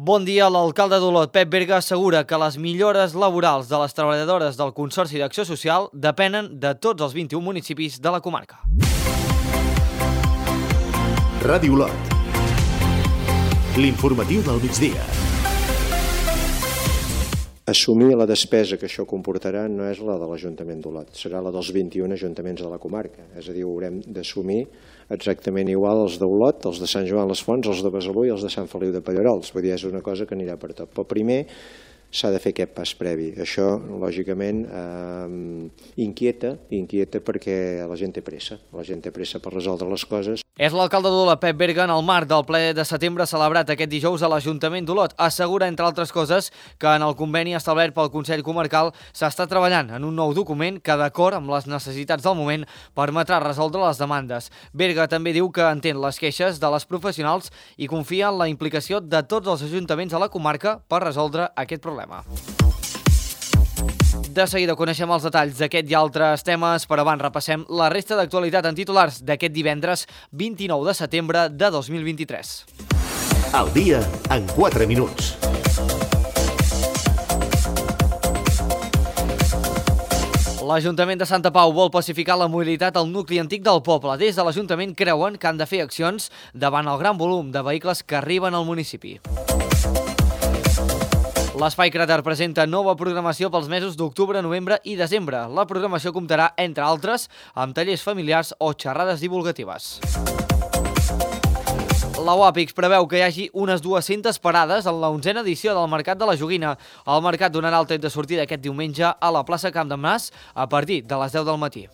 Bon dia. L'alcalde d'Olot, Pep Berga, assegura que les millores laborals de les treballadores del Consorci d'Acció Social depenen de tots els 21 municipis de la comarca. Ràdio Olot. L'informatiu del migdia. Assumir la despesa que això comportarà no és la de l'Ajuntament d'Olot, serà la dels 21 ajuntaments de la comarca. És a dir, haurem d'assumir exactament igual els d'Olot, els de Sant Joan les Fonts, els de Besalú i els de Sant Feliu de Pallerols. Vull dir, és una cosa que anirà per tot. Però primer s'ha de fer aquest pas previ. Això, lògicament, inquieta perquè la gent té pressa. La gent té pressa per resoldre les coses. És l'alcalde d'Olot, Pep Berga, en el marc del ple de setembre celebrat aquest dijous a l'Ajuntament d'Olot. Assegura, entre altres coses, que en el conveni establert pel Consell Comarcal s'està treballant en un nou document que, d'acord amb les necessitats del moment, permetrà resoldre les demandes. Berga també diu que entén les queixes de les professionals i confia en la implicació de tots els ajuntaments de la comarca per resoldre aquest problema. De seguida coneixem els detalls d'aquest i altres temes, però abans repassem la resta d'actualitat en titulars d'aquest divendres 29 de setembre de 2023. Al dia en 4 minuts. L'Ajuntament de Santa Pau vol pacificar la mobilitat al nucli antic del poble. Des de l'Ajuntament creuen que han de fer accions davant el gran volum de vehicles que arriben al municipi. L'Espai Cràter presenta nova programació pels mesos d'octubre, novembre i desembre. La programació comptarà, entre altres, amb tallers familiars o xerrades divulgatives. La UAPIX preveu que hi hagi unes 200 parades en la 11a edició del Mercat de la Joguina. El mercat donarà el tret de sortida aquest diumenge a la plaça Camp de Mas a partir de les 10 del matí.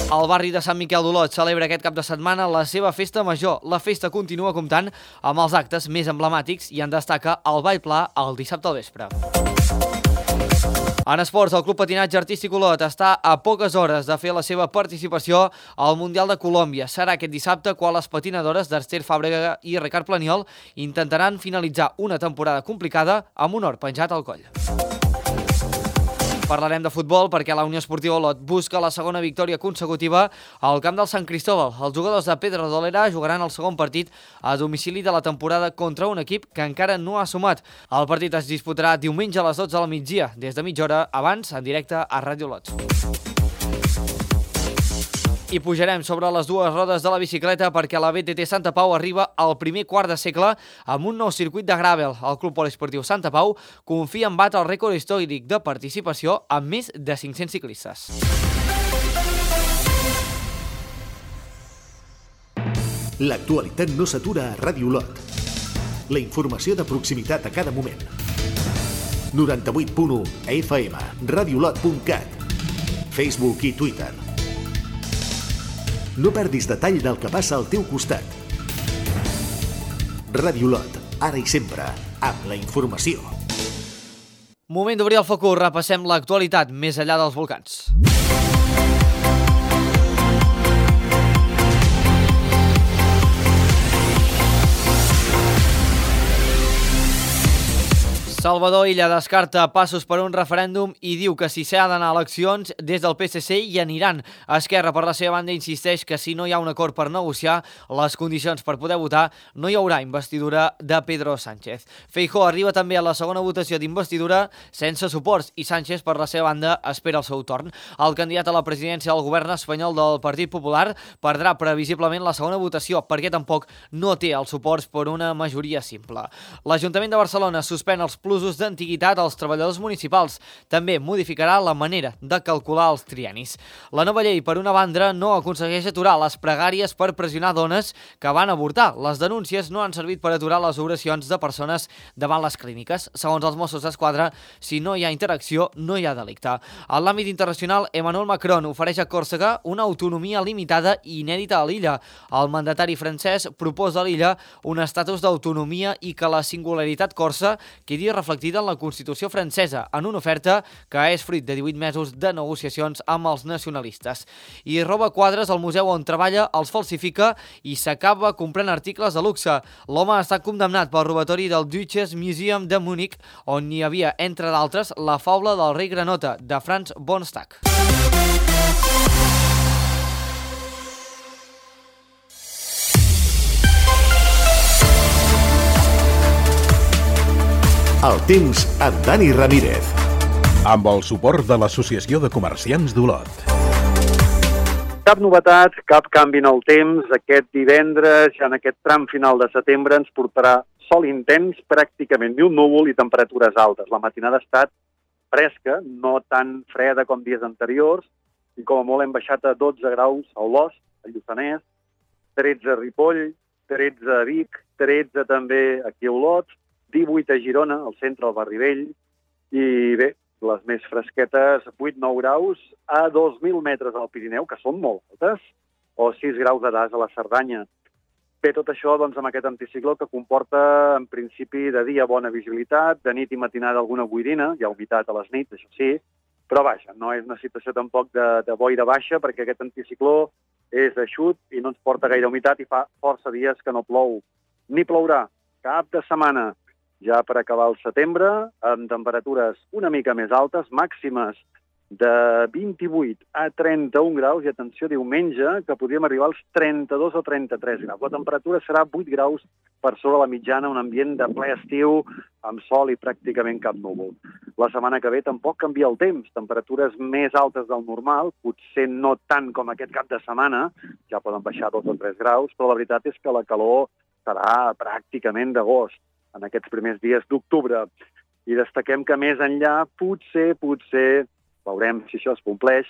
El barri de Sant Miquel d'Olot celebra aquest cap de setmana la seva festa major. La festa continua comptant amb els actes més emblemàtics i en destaca el ball pla el dissabte al vespre. En esports, el Club Patinatge Artístic Olot està a poques hores de fer la seva participació al Mundial de Colòmbia. Serà aquest dissabte quan les patinadores d'Ester Fàbrega i Ricard Planiol intentaran finalitzar una temporada complicada amb un or penjat al coll. Parlarem de futbol perquè la Unió Esportiva Olot busca la segona victòria consecutiva al camp del Sant Cristóbal. Els jugadors de Pedrodolera jugaran el segon partit a domicili de la temporada contra un equip que encara no ha sumat. El partit es disputarà diumenge a les 12 del migdia, des de mitja hora abans, en directe a Ràdio Olot. I pujarem sobre les dues rodes de la bicicleta perquè la BTT Santa Pau arriba al primer quart de segle amb un nou circuit de gravel. El Club Poliesportiu Santa Pau confia en batre el rècord històric de participació amb més de 500 ciclistes. L'actualitat no s'atura a Ràdio Olot. La informació de proximitat a cada moment. 98.1 FM, radiolot.cat, Facebook i Twitter. No perdis detall del que passa al teu costat. Ràdio Olot, ara i sempre, amb la informació. Moment d'obrir el focus, repassem l'actualitat més enllà dels volcans. Salvador Illa descarta passos per un referèndum i diu que si s'ha d'anar a eleccions, des del PSC hi aniran. Esquerra, per la seva banda, insisteix que si no hi ha un acord per negociar les condicions per poder votar, no hi haurà investidura de Pedro Sánchez. Feijóo arriba també a la segona votació d'investidura sense suports i Sánchez, per la seva banda, espera el seu torn. El candidat a la presidència del govern espanyol del Partit Popular perdrà previsiblement la segona votació perquè tampoc no té els suports per una majoria simple. L'Ajuntament de Barcelona suspèn els plusos d'antiguitat als treballadors municipals. També modificarà la manera de calcular els triennis. La nova llei, per una banda, no aconsegueix aturar les pregàries per pressionar dones que van avortar. Les denúncies no han servit per aturar les oracions de persones davant les clíniques. Segons els Mossos d'Esquadra, si no hi ha interacció, no hi ha delicte. En l'àmbit internacional, Emmanuel Macron ofereix a Còrsega una autonomia limitada i inèdita a l'illa. El mandatari francès proposa a l'illa un estatus d'autonomia i que la singularitat corsa quedi reflectida en la Constitució francesa, en una oferta que és fruit de 18 mesos de negociacions amb els nacionalistes. I roba quadres al museu on treballa, els falsifica i s'acaba comprant articles de luxe. L'home ha estat condemnat pel robatori del Deutsches Museum de Múnich, on hi havia, entre d'altres, la faula del rei granota, de Franz von Stack. El temps amb Dani Ramírez. Amb el suport de l'Associació de Comerciants d'Olot. Cap novetat, cap canvi en el temps. Aquest divendres, ja en aquest tram final de setembre, ens portarà sol intens, pràcticament ni un núvol i temperatures altes. La matinada ha estat fresca, no tan freda com dies anteriors, i com a molt hem baixat a 12 graus a Olost, a Lluçanès, 13 a Ripoll, 13 a Vic, 13 també aquí a Olot, 18 a Girona, al centre del Barri Vell, i bé, les més fresquetes, 8-9 graus a 2.000 metres al Pirineu, que són molt altes, o 6 graus de das a la Cerdanya. Bé, tot això doncs, amb aquest anticicló que comporta, en principi, de dia bona visibilitat, de nit i matinada alguna boirina, hi ha humitat a les nits, això sí, però vaja, no és una situació tampoc de boira baixa, perquè aquest anticicló és eixut i no ens porta gaire humitat i fa força dies que no plou. Ni plourà cap de setmana, ja per acabar el setembre, amb temperatures una mica més altes, màximes de 28 a 31 graus, i atenció, diumenge, que podríem arribar als 32 o 33 graus. La temperatura serà 8 graus per sobre la mitjana, un ambient de ple estiu, amb sol i pràcticament cap núvol. La setmana que ve tampoc canvia el temps, temperatures més altes del normal, potser no tant com aquest cap de setmana, ja poden baixar 2 o 3 graus, però la veritat és que la calor serà pràcticament d'agost, en aquests primers dies d'octubre. I destaquem que més enllà, potser, veurem si això es compleix,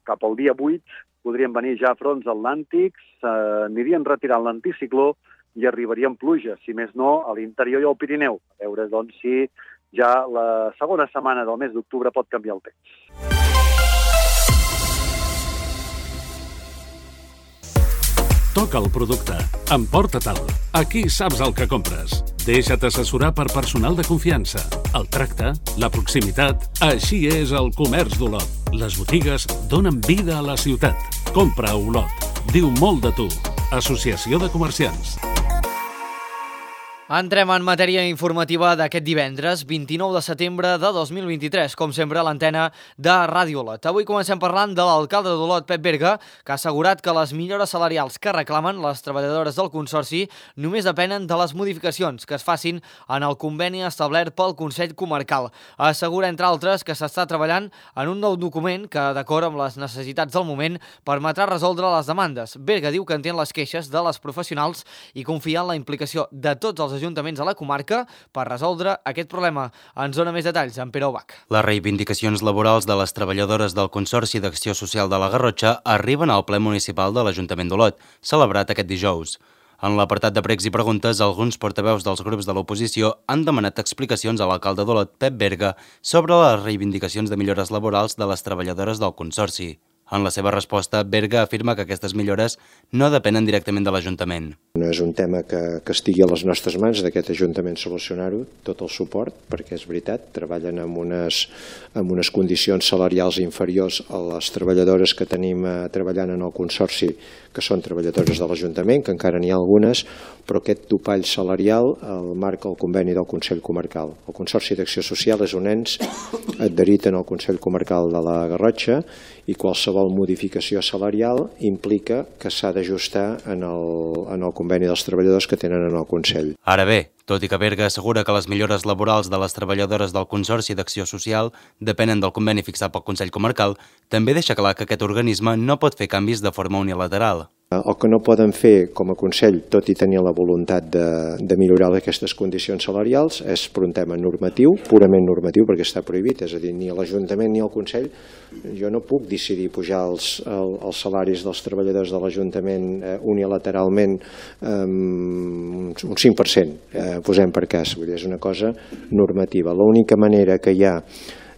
cap al dia 8 podrien venir ja fronts atlàntics, anirien retirant l'anticicló i arribarien pluges, si més no, a l'interior i al Pirineu. A veure, doncs, si ja la segona setmana del mes d'octubre pot canviar el temps. Toca el producte. Emporta-te'l. Aquí saps el que compres. Deixa't assessorar per personal de confiança. El tracte, la proximitat... Així és el comerç d'Olot. Les botigues donen vida a la ciutat. Compra a Olot. Diu molt de tu. Associació de Comerciants. Entrem en matèria informativa d'aquest divendres, 29 de setembre de 2023, com sempre a l'antena de Ràdio Olot. Avui comencem parlant de l'alcalde d'Olot, Pep Berga, que ha assegurat que les millores salarials que reclamen les treballadores del Consorci només depenen de les modificacions que es facin en el conveni establert pel Consell Comarcal. Assegura, entre altres, que s'està treballant en un nou document que, d'acord amb les necessitats del moment, permetrà resoldre les demandes. Berga diu que entén les queixes de les professionals i confia en la implicació de tots els ajuntaments a la comarca per resoldre aquest problema. Ens dona més detalls en Pere Ubach. Les reivindicacions laborals de les treballadores del Consorci d'Acció Social de la Garrotxa arriben al ple municipal de l'Ajuntament d'Olot, celebrat aquest dijous. En l'apartat de pregs i preguntes, alguns portaveus dels grups de l'oposició han demanat explicacions a l'alcalde d'Olot, Pep Berga, sobre les reivindicacions de millores laborals de les treballadores del Consorci. En la seva resposta, Berga afirma que aquestes millores no depenen directament de l'Ajuntament. No és un tema que estigui a les nostres mans d'aquest Ajuntament solucionar-ho, tot el suport, perquè és veritat, treballen amb unes condicions salarials inferiors a les treballadores que tenim treballant en el Consorci, que són treballadores de l'Ajuntament, que encara n'hi ha algunes, però aquest topall salarial el marca el conveni del Consell Comarcal. El Consorci d'Acció Social és un ens adherit en el Consell Comarcal de la Garrotxa i qualsevol modificació salarial implica que s'ha d'ajustar en el conveni dels treballadors que tenen en el Consell. Ara bé, tot i que Berga assegura que les millores laborals de les treballadores del Consorci d'Acció Social depenen del conveni fixat pel Consell Comarcal, també deixa clar que aquest organisme no pot fer canvis de forma unilateral. El que no poden fer com a Consell, tot i tenir la voluntat de millorar aquestes condicions salarials, és per un tema normatiu, purament normatiu, perquè està prohibit, és a dir, ni l'Ajuntament ni el Consell, jo no puc decidir pujar els salaris dels treballadors de l'Ajuntament unilateralment un 5%, posem per cas, vull dir, és una cosa normativa. L'única manera que hi ha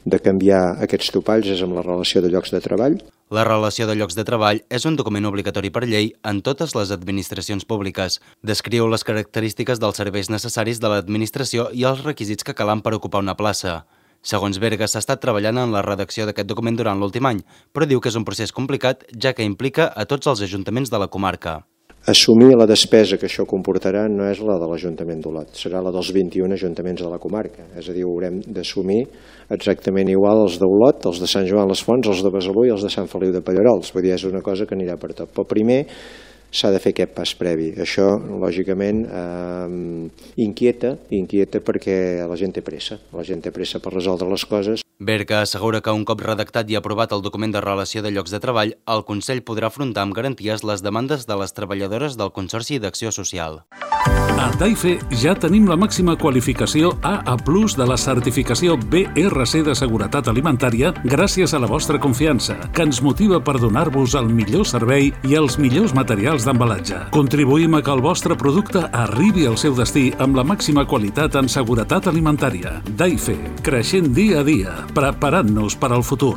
de canviar aquests topalls és amb la relació de llocs de treball. La relació de llocs de treball és un document obligatori per llei en totes les administracions públiques. Descriu les característiques dels serveis necessaris de l'administració i els requisits que calen per ocupar una plaça. Segons Berga, s'ha estat treballant en la redacció d'aquest document durant l'últim any, però diu que és un procés complicat, ja que implica a tots els ajuntaments de la comarca. Assumir la despesa que això comportarà no és la de l'Ajuntament d'Olot, serà la dels 21 ajuntaments de la comarca. És a dir, haurem d'assumir exactament igual els d'Olot, els de Sant Joan les Fonts, els de Besalú i els de Sant Feliu de Pallerols. Vull dir, és una cosa que anirà per tot. Però primer s'ha de fer aquest pas previ. Això, lògicament, inquieta perquè la gent té pressa per resoldre les coses. Berga assegura que un cop redactat i aprovat el document de relació de llocs de treball, el Consell podrà afrontar amb garanties les demandes de les treballadores del Consorci d'Acció Social. A Daife ja tenim la màxima qualificació AA+ de la certificació BRC de Seguretat Alimentària gràcies a la vostra confiança, que ens motiva per donar-vos el millor servei i els millors materials d'embalatge. Contribuïm a que el vostre producte arribi al seu destí amb la màxima qualitat en seguretat alimentària. Daife, creixent dia a dia, preparant-nos per al futur.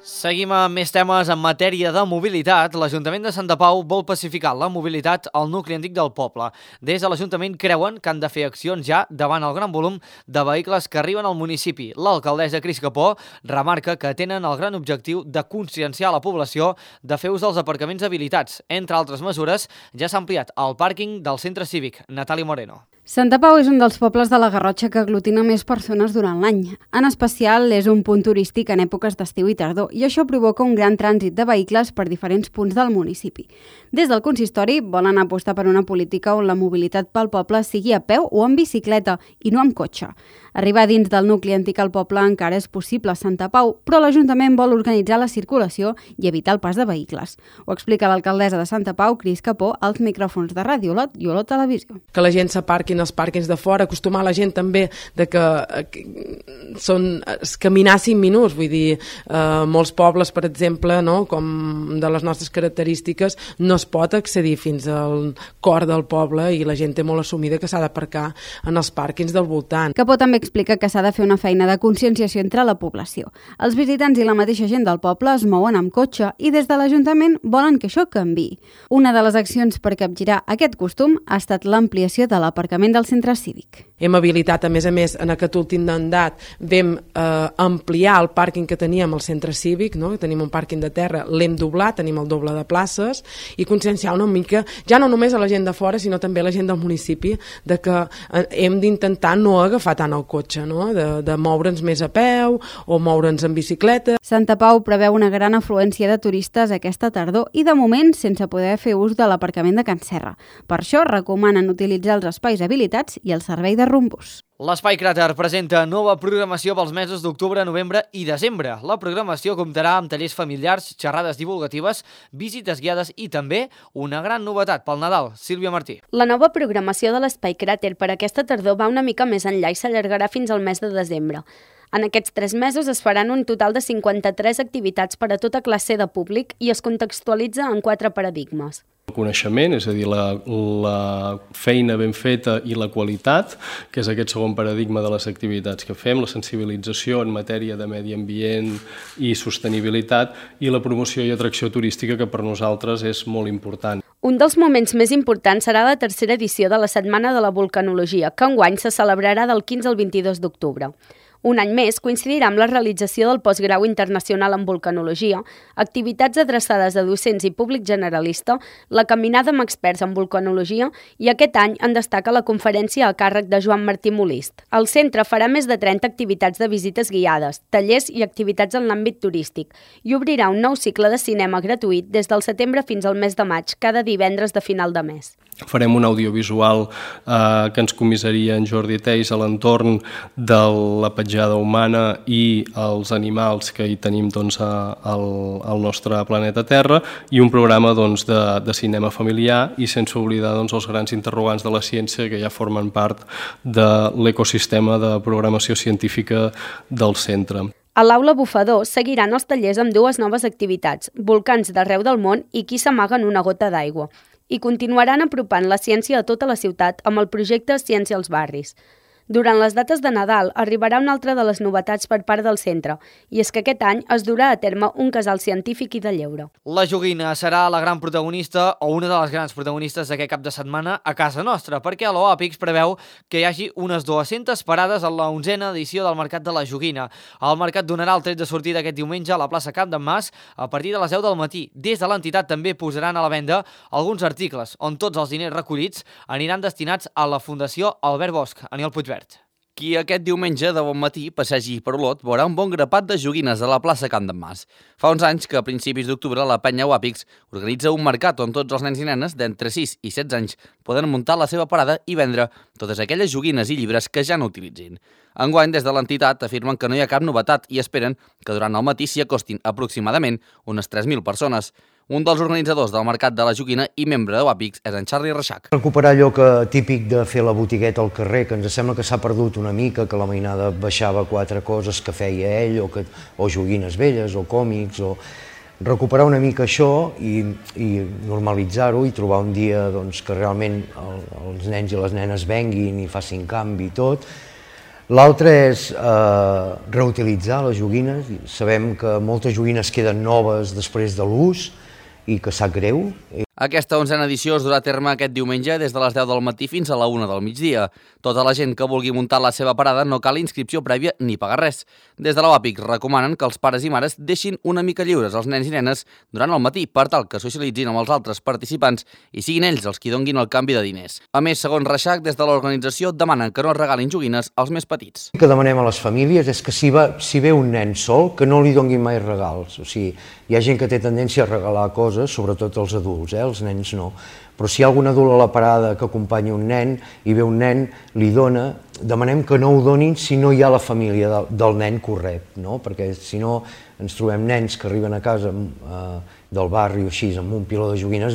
Seguim amb més temes en matèria de mobilitat. L'Ajuntament de Santa Pau vol pacificar la mobilitat al nucli antic del poble. Des de l'Ajuntament creuen que han de fer accions ja davant el gran volum de vehicles que arriben al municipi. L'alcaldessa Cris Capó remarca que tenen el gran objectiu de conscienciar la població de fer ús dels aparcaments habilitats. Entre altres mesures, ja s'ha ampliat el pàrquing del centre cívic. Natàlia Moreno. Santa Pau és un dels pobles de la Garrotxa que aglutina més persones durant l'any. En especial, és un punt turístic en èpoques d'estiu i tardor i això provoca un gran trànsit de vehicles per diferents punts del municipi. Des del consistori volen apostar per una política on la mobilitat pel poble sigui a peu o en bicicleta i no amb cotxe. Arribar dins del nucli antic al poble encara és possible a Santa Pau, però l'Ajuntament vol organitzar la circulació i evitar el pas de vehicles. Ho explica l'alcaldessa de Santa Pau, Cris Capó, als micròfons de Ràdio Olot i Olot Televisió. Que la gent s'aparquin als pàrquings de fora, acostumar la gent també de que caminar 5 minuts, vull dir, molts pobles, per exemple, no, com de les nostres característiques, no es pot accedir fins al cor del poble i la gent té molt assumida que s'ha d'aparcar en els pàrquings del voltant. Capó també explica que s'ha de fer una feina de conscienciació entre la població. Els visitants i la mateixa gent del poble es mouen amb cotxe i des de l'Ajuntament volen que això canviï. Una de les accions per capgirar aquest costum ha estat l'ampliació de l'aparcament del centre cívic. Hem habilitat, a més, en aquest últim mandat vam ampliar el pàrquing que teníem al centre cívic, no? Tenim un pàrquing de terra, l'hem doblat, tenim el doble de places i conscienciar una mica, ja no només a la gent de fora, sinó també a la gent del municipi, de que hem d'intentar no agafar tant el cotxe, no? De moure'ns més a peu o moure'ns en bicicleta. Santa Pau preveu una gran afluència de turistes aquesta tardor i de moment sense poder fer ús de l'aparcament de Can Serra. Per això recomanen utilitzar els espais habilitats i el servei de rumbus. L'Espai Cràter presenta nova programació pels mesos d'octubre, novembre i desembre. La programació comptarà amb tallers familiars, xerrades divulgatives, visites guiades i també una gran novetat pel Nadal. Sílvia Martí. La nova programació de l'Espai Cràter per aquesta tardor va una mica més enllà i s'allargarà fins al mes de desembre. En aquests 3 mesos es faran un total de 53 activitats per a tota classe de públic i es contextualitza en 4 paradigmes. El coneixement, és a dir, la feina ben feta i la qualitat, que és aquest segon paradigma de les activitats que fem, la sensibilització en matèria de medi ambient i sostenibilitat i la promoció i atracció turística, que per nosaltres és molt important. Un dels moments més importants serà la 3a edició de la Setmana de la Vulcanologia, que enguany se celebrarà del 15 al 22 d'octubre. Un any més coincidirà amb la realització del postgrau internacional en vulcanologia, activitats adreçades a docents i públic generalista, la caminada amb experts en vulcanologia i aquest any en destaca la conferència a càrrec de Joan Martí Molist. El centre farà més de 30 activitats de visites guiades, tallers i activitats en l'àmbit turístic i obrirà un nou cicle de cinema gratuït des del setembre fins al mes de maig, cada divendres de final de mes. Farem un audiovisual que ens comissaria en Jordi Teis a l'entorn de la petjada humana i els animals que hi tenim al nostre planeta Terra i un programa de cinema familiar i sense oblidar els grans interrogants de la ciència que ja formen part de l'ecosistema de programació científica del centre. A l'Aula Bufador seguiran els tallers amb 2 noves activitats, volcans d'arreu del món i qui s'amaga en una gota d'aigua. I continuaran apropant la ciència a tota la ciutat amb el projecte Ciència als barris. Durant les dates de Nadal arribarà una altra de les novetats per part del centre, i és que aquest any es durà a terme un casal científic i de lleure. La joguina serà la gran protagonista o una de les grans protagonistes d'aquest cap de setmana a casa nostra, perquè l'OAPIX preveu que hi hagi unes 200 parades a la 11a edició del Mercat de la Joguina. El mercat donarà el tret de sortida aquest diumenge a la plaça Camp d'en Mas a partir de les 10 del matí. Des de l'entitat també posaran a la venda alguns articles on tots els diners recollits aniran destinats a la Fundació Albert Bosch. Aniol Puigverd. Qui aquest diumenge de bon matí passegi per Olot veurà un bon grapat de joguines a la plaça Camp d'en Mas. Fa uns anys que a principis d'octubre la penya Wapix organitza un mercat on tots els nens i nenes d'entre 6 i 16 anys poden muntar la seva parada i vendre totes aquelles joguines i llibres que ja no utilitzin. Enguany, des de l'entitat, afirmen que no hi ha cap novetat i esperen que durant el matí s'hi acostin aproximadament unes 3.000 persones. Un dels organitzadors del Mercat de la Joguina i membre de Wapix és en Charlie Reixac. Recuperar allò típic de fer la botigueta al carrer, que ens sembla que s'ha perdut una mica, que la mainada baixava 4 coses que feia ell, o joguines velles, o còmics, o recuperar una mica això i normalitzar-ho i trobar un dia que realment els nens i les nenes venguin i facin canvi i tot. L'altre és reutilitzar les joguines. Sabem que moltes joguines queden noves després de l'ús i que sap greu. Aquesta 11a edició es durà a terme aquest diumenge des de les 10 del matí fins a la 1 del migdia. Tota la gent que vulgui muntar la seva parada no cal inscripció prèvia ni pagar res. Des de la Wapix recomanen que els pares i mares deixin una mica lliures els nens i nenes durant el matí per tal que socialitzin amb els altres participants i siguin ells els qui donguin el canvi de diners. A més, segons Reixac, des de l'organització demanen que no es regalin joguines als més petits. El que demanem a les famílies és que si ve un nen sol, que no li donguin mai regals. O sigui, hi ha gent que té tendència a regalar coses, sobretot els adults, els nens no. Però si hi ha algun adult a la parada que acompanyi un nen i ve un nen, li dona, demanem que no ho donin si no hi ha la família del nen que ho rep, no? Perquè si no ens trobem nens que arriben a casa del barri o així amb un piló de joguines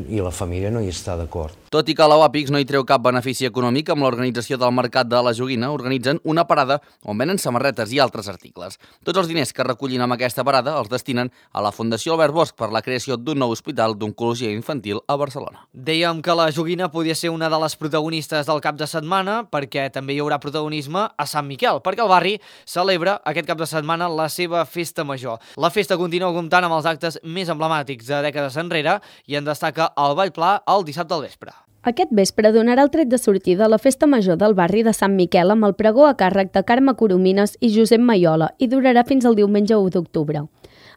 i la família no hi està d'acord. Tot i que la Wapix no hi treu cap benefici econòmic, amb l'organització del Mercat de la Joguina organitzen una parada on venen samarretes i altres articles. Tots els diners que recullin amb aquesta parada els destinen a la Fundació Albert Bosch per la creació d'un nou hospital d'oncologia infantil a Barcelona. Dèiem que la joguina podia ser una de les protagonistes del cap de setmana perquè també hi haurà protagonisme a Sant Miquel, perquè el barri celebra aquest cap de setmana la seva festa major. La festa continua comptant amb els actes més emblemàtics de dècades enrere i en destaca el Ball Pla el dissabte al vespre. Aquest vespre donarà el tret de sortida a la festa major del barri de Sant Miquel amb el pregó a càrrec de Carme Coromines i Josep Maiola i durarà fins al diumenge 1 d'octubre.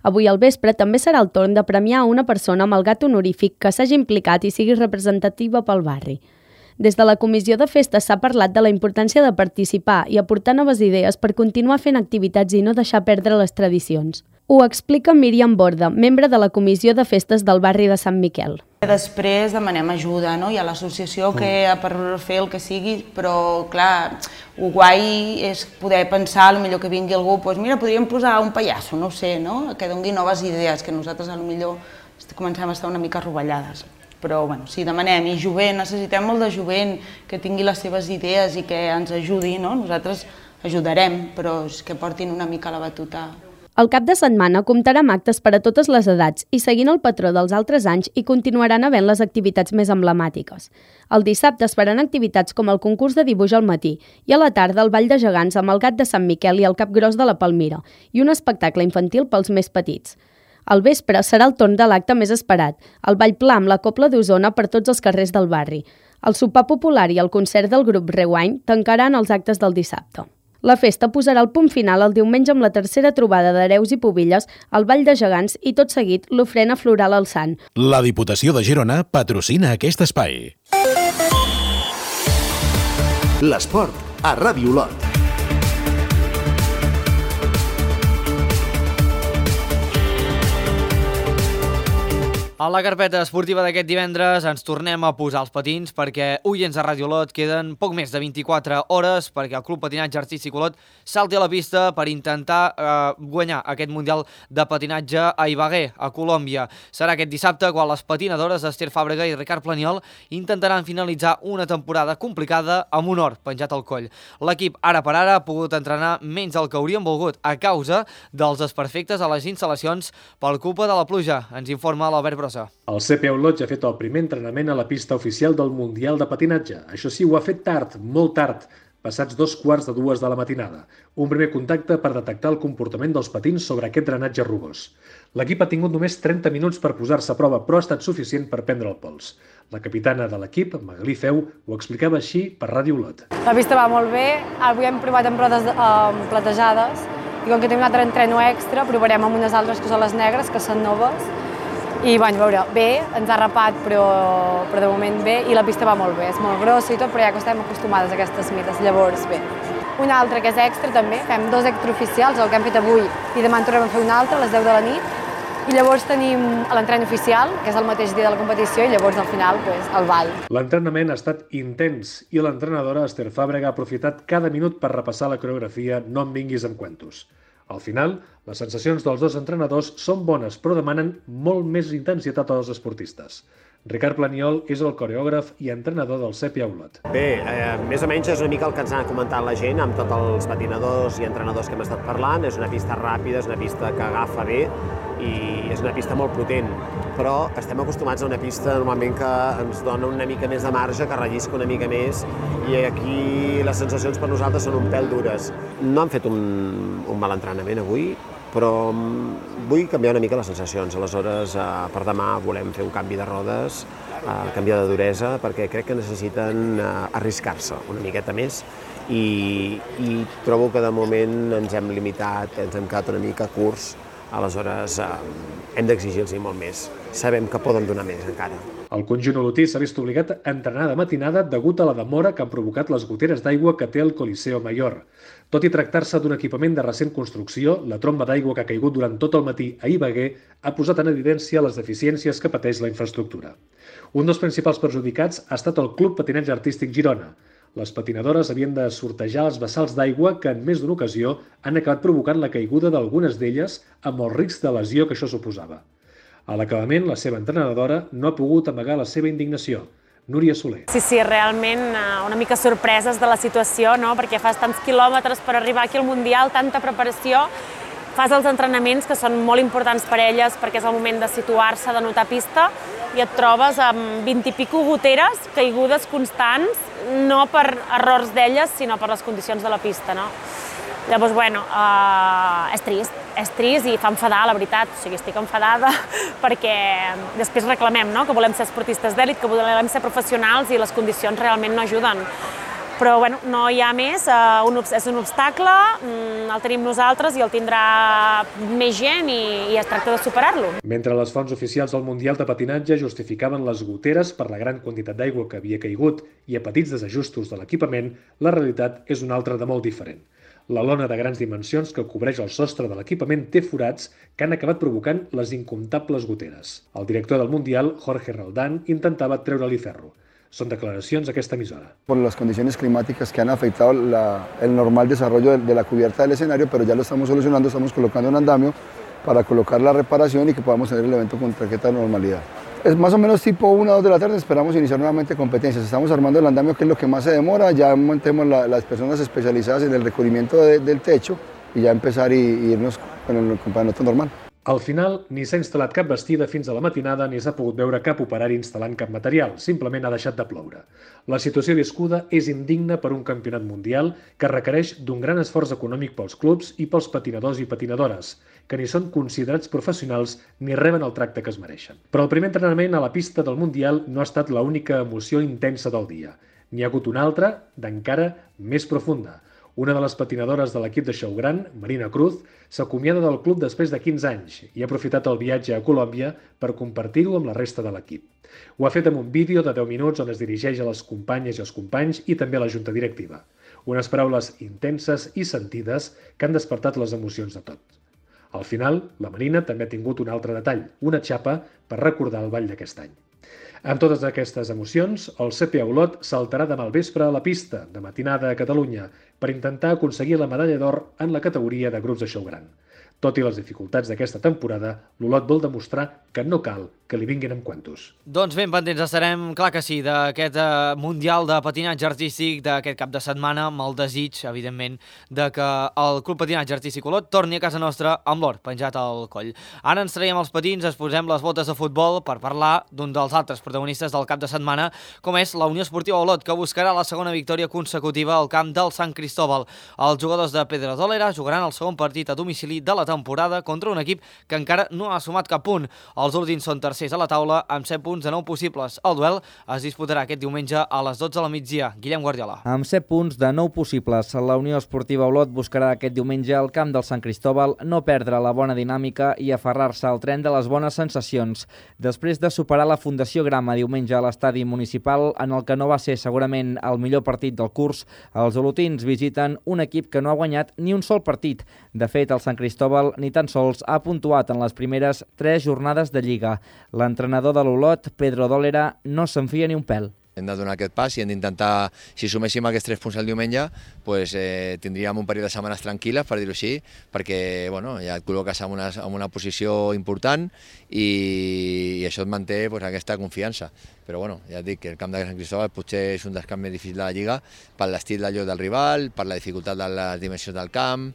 Avui al vespre també serà el torn de premiar una persona amb el gat honorífic que s'hagi implicat i sigui representativa pel barri. Des de la comissió de festes s'ha parlat de la importància de participar i aportar noves idees per continuar fent activitats i no deixar perdre les tradicions. Ho explica Míriam Borda, membre de la comissió de festes del barri de Sant Miquel. Després demanem ajuda, no? Hi ha l'associació que per fer el que sigui, però clar, el guai és poder pensar, potser que vingui algú, doncs mira, podríem posar un pallasso, no ho sé, no? Que doni noves idees, que nosaltres potser comencem a estar una mica rovellades. Però bueno, si demanem, i jovent, necessitem molt de jovent que tingui les seves idees i que ens ajudi, no? Nosaltres ajudarem, però que portin una mica la batuta. El cap de setmana comptarà amb actes per a totes les edats i seguint el patró dels altres anys hi continuaran havent les activitats més emblemàtiques. El dissabte es faran activitats com el concurs de dibuix al matí i a la tarda el ball de gegants amb el gat de Sant Miquel i el cap gros de la Palmira i un espectacle infantil pels més petits. Al vespre serà el torn de l'acte més esperat, el ball pla amb la Cobla d'Osona per tots els carrers del barri. El sopar popular i el concert del grup Rewind tancaran els actes del dissabte. La festa posarà el punt final el diumenge amb la tercera trobada d'hereus i pubilles, el ball de gegants i tot seguit l'ofrena floral al Sant. La Diputació de Girona patrocina aquest espai. L'esport a Ràdio Olot. A la carpeta esportiva d'aquest divendres ens tornem a posar els patins perquè oients de Ràdio Olot queden poc més de 24 hores perquè el Club Patinatge Artístic Olot salti a la pista per intentar guanyar aquest Mundial de Patinatge a Ibagué, a Colòmbia. Serà aquest dissabte quan les patinadores Esther Fàbrega i Ricard Planiol intentaran finalitzar una temporada complicada amb un or penjat al coll. L'equip ara per ara ha pogut entrenar menys del que haurien volgut a causa dels desperfectes a les instal·lacions per culpa de la pluja. Ens informa l'Albert Brossa. El CP Olot ja ha fet el primer entrenament a la pista oficial del Mundial de Patinatge. Això sí, ho ha fet tard, molt tard, passats 2:15 de la matinada. Un primer contacte per detectar el comportament dels patins sobre aquest drenatge rugós. L'equip ha tingut només 30 minuts per posar-se a prova, però ha estat suficient per prendre el pols. La capitana de l'equip, Magalí Feu, ho explicava així per Ràdio Olot. La pista va molt bé, avui hem provat amb rodes platejades i com que tenim un altre entreno extra, provarem amb unes altres que són les negres, que són noves. I, bueno, a veure, bé, ens ha rapat, però de moment bé, i la pista va molt bé, és molt grossa i tot, però ja que estem acostumades a aquestes mides, llavors bé. un altre que és extra també, fem 2 extraoficials, el que hem fet avui i demà en tornem a fer un altre a les 10 de la nit. I llavors tenim l'entrenament oficial, que és el mateix dia de la competició, i llavors al final el ball. L'entrenament ha estat intens i l'entrenadora Esther Fàbrega ha aprofitat cada minut per repassar la coreografia No em vinguis amb cuentos. Al final, les sensacions dels 2 entrenadors són bones, però demanen molt més intensitat als esportistes. Ricard Planiol és el coreògraf i entrenador del Sépia Olot. Bé, més o menys és una mica el que ens ha comentat la gent amb tots els patinadors i entrenadors que hem estat parlant. És una pista ràpida, és una pista que agafa bé i és una pista molt potent, però estem acostumats a una pista normalment que ens dona una mica més de marge, que rellisca una mica més, i aquí les sensacions per nosaltres són un pèl dures. No han fet un mal entrenament avui, però vull canviar una mica les sensacions. Aleshores, per demà volem fer un canvi de rodes, canviar de duresa, perquè crec que necessiten arriscar-se una miqueta més i trobo que de moment ens hem limitat, ens hem quedat una mica curts. Aleshores, hem d'exigir-los molt més. Sabem que poden donar més encara. El conjunt olotí s'ha vist obligat a entrenar de matinada degut a la demora que han provocat les goteres d'aigua que té el Coliseo Mayor. Tot i tractar-se d'un equipament de recent construcció, la tromba d'aigua que ha caigut durant tot el matí a Ibagué ha posat en evidència les deficiències que pateix la infraestructura. Un dels principals perjudicats ha estat el Club Patinatge Artístic Girona. Les patinadores havien de sortejar els bassals d'aigua que en més d'una ocasió han acabat provocant la caiguda d'algunes d'elles amb el risc de lesió que això suposava. A l'acabament, la seva entrenadora no ha pogut amagar la seva indignació. Núria Soler. Sí, realment una mica sorpreses de la situació, no? Perquè fas tants quilòmetres per arribar aquí al Mundial, tanta preparació, fas els entrenaments que són molt importants per elles perquè és el moment de situar-se, de notar pista, i et trobes amb 20 i pico goteres, caigudes constants, no per errors d'elles, sinó per les condicions de la pista, no? Llavors, és trist i fa enfadar, la veritat. O sigui, estic enfadada perquè després reclamem, no?, que volem ser esportistes d'èlit, que volem ser professionals i les condicions realment no ajuden. Però no hi ha més, és un obstacle, el tenim nosaltres i el tindrà més gent i es tracta de superar-lo. Mentre les fonts oficials del Mundial de Patinatge justificaven les goteres per la gran quantitat d'aigua que havia caigut i a petits desajustos de l'equipament, la realitat és una altra de molt diferent. La lona de grans dimensions que cobreix el sostre de l'equipament té forats que han acabat provocant les incomptables goteres. El director del Mundial, Jorge Roldán, intentava treure-li ferro. Son declaracions d'aquesta emissora. Por las condiciones climáticas que han afectado el normal desarrollo de la cubierta del escenario, pero ya lo estamos solucionando, estamos colocando un andamio para colocar la reparación y que podamos tener el evento con tarjeta de normalidad. Es más o menos tipo 1 o 2 de la tarde, esperamos iniciar nuevamente competencias. Estamos armando el andamio, que es lo que más se demora, ya montemos las personas especializadas en el recubrimiento del techo y ya empezar y irnos con el campeonato normal. Al final, ni s'ha instal·lat cap bastida fins a la matinada ni s'ha pogut veure cap operari instal·lant cap material, simplement ha deixat de ploure. La situació viscuda és indigna per un campionat mundial que requereix d'un gran esforç econòmic pels clubs i pels patinadors i patinadores, que ni són considerats professionals ni reben el tracte que es mereixen. Però el primer entrenament a la pista del Mundial no ha estat l'única emoció intensa del dia. N'hi ha hagut una altra, d'encara més profunda. Una de les patinadores de l'equip de Xou Gran, Marina Cruz, s'acomiada del club després de 15 anys i ha aprofitat el viatge a Colòmbia per compartir-ho amb la resta de l'equip. Ho ha fet amb un vídeo de 10 minuts on es dirigeix a les companyes i els companys i també a la junta directiva. Unes paraules intenses i sentides que han despertat les emocions de tot. Al final, la Marina també ha tingut un altre detall, una xapa per recordar el ball d'aquest any. Amb totes aquestes emocions, el Sépia Olot saltarà demà al vespre a la pista, de matinada a Catalunya, per intentar aconseguir la medalla d'or en la categoria de grups de Xou Gran. Tot i les dificultats d'aquesta temporada, l'Olot vol demostrar que no cal que li vinguin amb cuentos. Doncs ben pendents estarem, clar que sí, d'aquest Mundial de Patinatge Artístic d'aquest cap de setmana, amb el desig, evidentment, de que el Club Patinatge Artístic Olot torni a casa nostra amb l'or penjat al coll. Ara ens traiem els patins, es posem les botes de futbol per parlar d'un dels altres protagonistes del cap de setmana, com és la Unió Esportiva Olot, que buscarà la segona victòria consecutiva al camp del Sant Cristóbal. Els jugadors de Pedrodolera jugaran el segon partit a domicili de la temporada contra un equip que encara no ha sumat cap punt. Els Olotins són tercers a la taula amb 7 punts de 9 possibles. El duel es disputarà aquest diumenge a les 12 de la migdia. Guillem Guardiola. Amb 7 punts de 9 possibles, la Unió Esportiva Olot buscarà aquest diumenge al camp del Sant Cristóbal no perdre la bona dinàmica i aferrar-se al tren de les bones sensacions. Després de superar la Fundació Grama diumenge a l'estadi municipal, en el que no va ser segurament el millor partit del curs, els olotins visiten un equip que no ha guanyat ni un sol partit. De fet, el Sant Cristóbal ni tan sols ha puntuat en les primeres 3 jornades de Lliga. L'entrenador de l'Olot, Pedro Dólera, no se'n fia ni un pèl. Hem de donar aquest pas i hem d'intentar, si suméssim aquests 3 punts el diumenge, tindríem un període de setmanes tranquil·les, per dir-ho així, perquè ja et col·loques en una posició important i això et manté aquesta confiança. Però ja et dic que el camp de Sant Cristóbal potser és un dels camps més difícils de la Lliga per l'estil de joc del rival, per la dificultat de les dimensions del camp,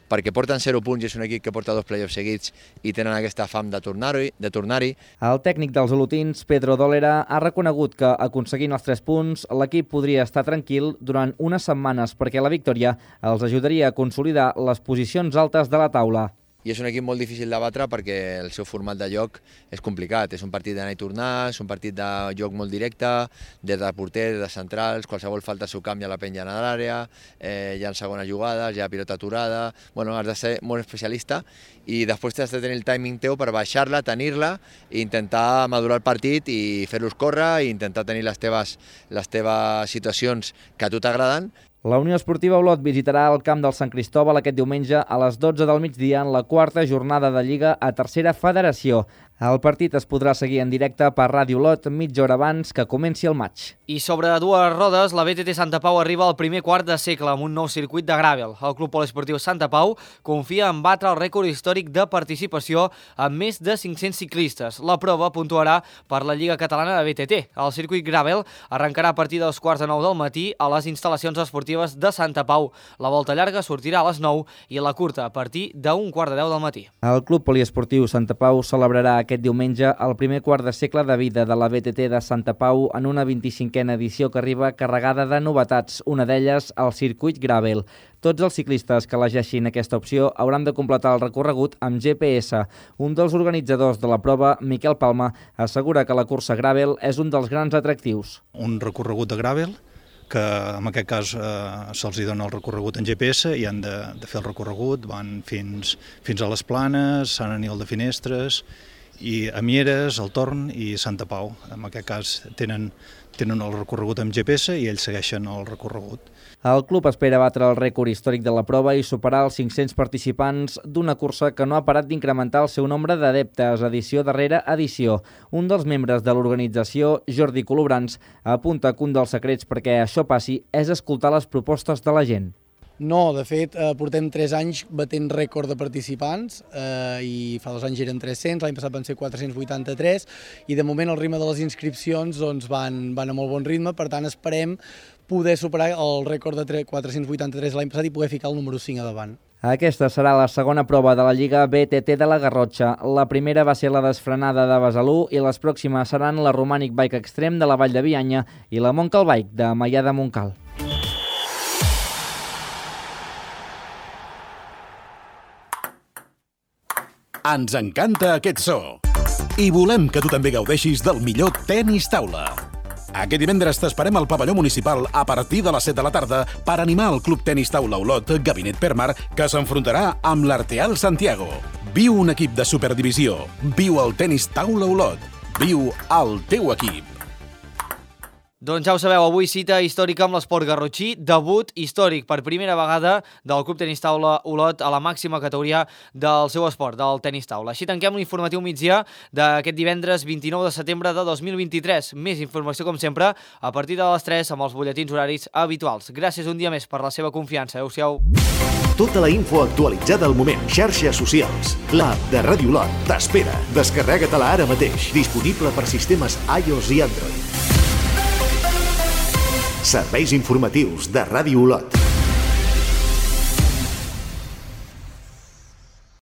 perquè porten 0 punts i és un equip que porta 2 playoffs seguits i tenen aquesta fam de tornar-hi. El tècnic dels olotins, Pedro Dólera, ha reconegut que, aconseguint els 3 punts, l'equip podria estar tranquil durant unes setmanes perquè la victòria els ajudaria a consolidar les posicions altes de la taula. I és un equip molt difícil de batre perquè el seu format de joc és complicat. És un partit d'anar i tornar, és un partit de joc molt directe, des de porter, des de centrals, qualsevol falta al seu camp ja la penja a l'àrea, hi ha segones jugades, hi ha pilota aturada. Has de ser molt especialista i després has de tenir el timing teu per baixar-la, tenir-la i intentar madurar el partit i fer-los córrer i intentar tenir les teves situacions que a tu t'agraden. La Unió Esportiva Olot visitarà el camp del Sant Cristóbal aquest diumenge a les 12 del migdia en la 4a jornada de Lliga a Tercera Federació. El partit es podrà seguir en directe per Ràdio Olot mitja hora abans que comenci el maig. I sobre 2 rodes, la BTT Santa Pau arriba al primer quart de segle amb un nou circuit de gràvel. El Club Poliesportiu Santa Pau confia en batre el rècord històric de participació amb més de 500 ciclistes. La prova puntuarà per la Lliga Catalana de BTT. El circuit gràvel arrencarà a partir dels 8:45 del matí a les instal·lacions esportives de Santa Pau. La volta llarga sortirà a les 9 i la curta a partir d'1:45 del matí. El Club Poliesportiu Santa Pau celebrarà aquest diumenge el primer quart de segle de vida de la BTT de Santa Pau en una 25a edició que arriba carregada de novetats, una d'elles el circuit gràvel. Tots els ciclistes que elegeixin aquesta opció hauran de completar el recorregut amb GPS. Un dels organitzadors de la prova, Miquel Palma, assegura que la cursa gràvel és un dels grans atractius. Un recorregut de gràvel que en aquest cas se'ls dona el recorregut en GPS i han de fer el recorregut, van fins a les Planes, Sant Aniol de Finestres, i a Mieres, el Torn i Santa Pau. En aquest cas tenen el recorregut amb GPS i ells segueixen el recorregut. El club espera batre el rècord històric de la prova i superar els 500 participants d'una cursa que no ha parat d'incrementar el seu nombre d'adeptes edició darrere edició. Un dels membres de l'organització, Jordi Colobrans, apunta que un dels secrets perquè això passi és escoltar les propostes de la gent. No, de fet, portem 3 anys batent rècord de participants i fa 2 anys eren 300, l'any passat van ser 483 i de moment el ritme de les inscripcions van a molt bon ritme, per tant esperem poder superar el rècord de 483 l'any passat i poder ficar el número 5 a davant. Aquesta serà la segona prova de la Lliga BTT de la Garrotxa. La primera va ser la desfrenada de Besalú i les pròximes seran la Romànic Bike Extreme de la Vall de Bianya i la Montcal Bike de Maià de Montcal. Ens encanta aquest so i volem que tu també gaudeixis del millor tenis taula. Aquest divendres t'esperem al pavelló municipal a partir de les 7 de la tarda per animar el Club Tenis Taula Olot Gabinet Permar que s'enfrontarà amb l'Arteal Santiago. Viu un equip de superdivisió. Viu el Tenis Taula Olot. Viu el teu equip. Doncs ja ho sabeu, avui cita històrica amb l'esport garrotxí, debut històric per primera vegada del Club Tenis Taula Olot a la màxima categoria del seu esport, del tenis taula. Així tanquem l'informatiu migdia d'aquest divendres 29 de setembre de 2023. Més informació, com sempre, a partir de les 3 amb els butlletins horaris habituals. Gràcies un dia més per la seva confiança. Adéu-siau. Tota la info actualitzada al moment. Xarxes socials. L'app de Ràdio Olot t'espera. Descarrega-te-la ara mateix. Disponible per sistemes iOS i Android. Serveis informatius de Ràdio Olot.